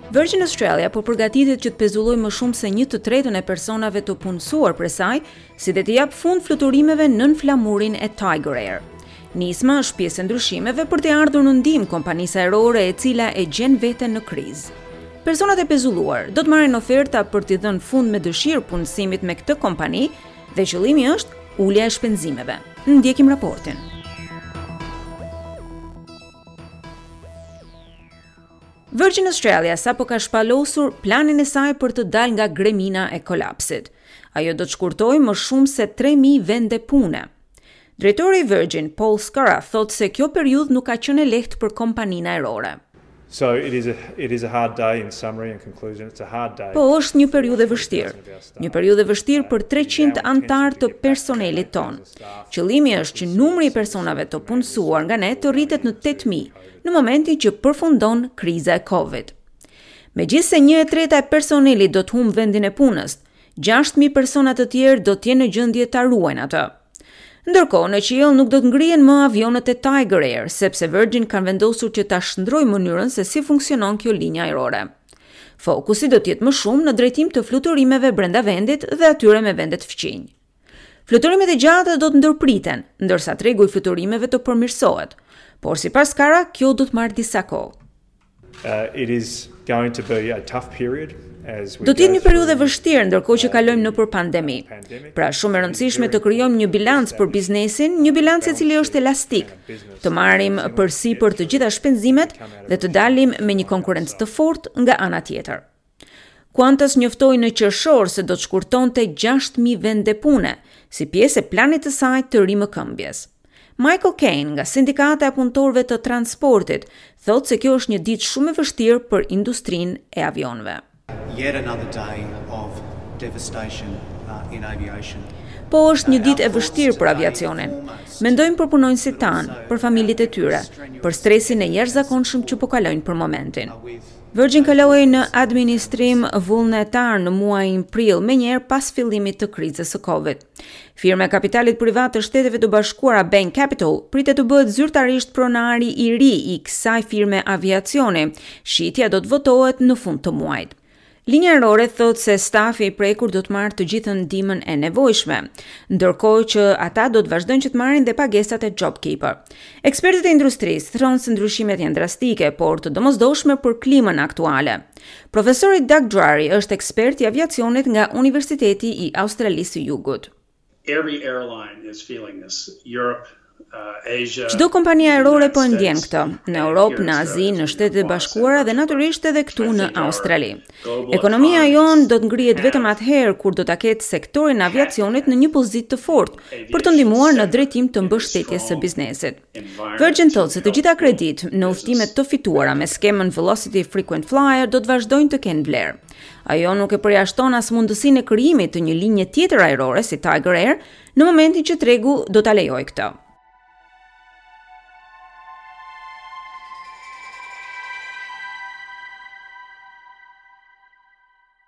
Virgin Australia po përgatitet që të pezullojë më shumë se 1/3 e personave të punësuar prej saj, si dhe t'i japë fund fluturimeve nën flamurin e Tiger Air. Nisma është pjesë e ndryshimeve për t'i ardhur në ndihmë kompanisë ajrore e cila e gjen veten në krizë. Personat e pezulluar do të marrin oferta për t'i dhënë fund me dëshirë punësimit me këtë kompani dhe qëllimi është ulja e shpenzimeve. Ndjekim raportin. Virgin Australia sapo ka shpalosur planin e saj për të dalë nga gremina e kolapsit. Ajo do të shkurtojë më shumë se 3000 vende pune. Drejtori i Virgin, Paul Scurrah, thotë se kjo periudhë nuk ka qenë e lehtë për kompaninë ajrore. So it is a it is a hard day in summary and conclusion it's a hard day. Po është një periudhë e vështirë. Një periudhë e vështirë për 300 anëtarë të personelit tonë. Qëllimi është që numri i personave të punësuar nga ne të rritet në 8000 në momentin që përfundon kriza e Covid. Megjithëse 1/3 e personelit do të humbë vendin e punës, 6000 persona të tjerë do të jenë në gjendje ta ruajnë atë. Ndërkohë, në qiell nuk do të ngrihen më avionët e Tiger Air, sepse Virgin kanë vendosur që ta shndërrojë mënyrën se si funksionon kjo linjë ajrore. Fokusi do të jetë më shumë në drejtim të fluturimeve brenda vendit dhe atyre me vendet fqinj. Fluturimet e gjata do të ndërpriten, ndërsa tregu i fluturimeve të përmirësohet. Por sipas Scurrah, kjo do të marrë disa kohë. Uh, it is going to be a tough period as we Do të jetë një periudhë e vështirë ndërkohë që kalojmë nëpër pandemi. Pra shumë e rëndësishme të krijojmë një bilanc për biznesin, një bilanc i cili është elastik, të marrim përsipër të gjitha shpenzimet dhe të dalim me një konkurrencë të fortë nga ana tjetër. Qantas njoftoi në qershor se do të shkurtonte 6000 vende pune, si pjesë e planit të saj të rimëkëmbjes. Michael Kane nga Sindikata e Punëtorëve të Transportit thotë se kjo është një ditë shumë e vështirë për industrinë e avionëve. Yet another day of devastation uh, in aviation. Po është një ditë e vështirë për aviacionin. Mendojmë për punonjësit tanë, për familjet e tyre, për stresin e jashtëzakonshëm që po kalojnë për momentin. Virgin kaloi në administrim vullnetar në muajin prill, menjëherë pas fillimit të krizës së Covid. Firma e kapitalit privat të Shteteve të Bashkuara Bain Capital pritet të bëhet zyrtarisht pronari i ri i kësaj firme aviacioni. Shitja do të votohet në fund të muajit. Linja ajrore thotë se stafi i prekur do të marrë të gjithë ndihmën e nevojshme, ndërkohë që ata do të vazhdojnë që të marrin dhe pagesat e JobKeeper. Ekspertët e industrisë thonë se ndryshimet janë drastike, por të domosdoshme për klimën aktuale. Profesori Doug Drury është ekspert i aviacionit nga Universiteti i Australisë së Jugut. Every airline is feeling this. Europe, uh, Çdo kompani ajrore po e ndjen këtë, në Europë, në Azi, në Shtetet e Bashkuara dhe natyrisht edhe këtu në Australi. Ekonomia jonë do të ngrihet vetëm atëherë kur do ta ketë sektorin e aviacionit në një pozitë të fortë për të ndihmuar në drejtim të mbështetjes së biznesit. Virgin thotë se të gjitha kreditë në udhëtime të fituara me skemën Velocity Frequent Flyer do të vazhdojnë të kenë vlerë. Ajo nuk e përjashton as mundësinë e krijimit të një linje tjetër ajrore si Tiger Air në momentin që tregu do ta lejojë këtë.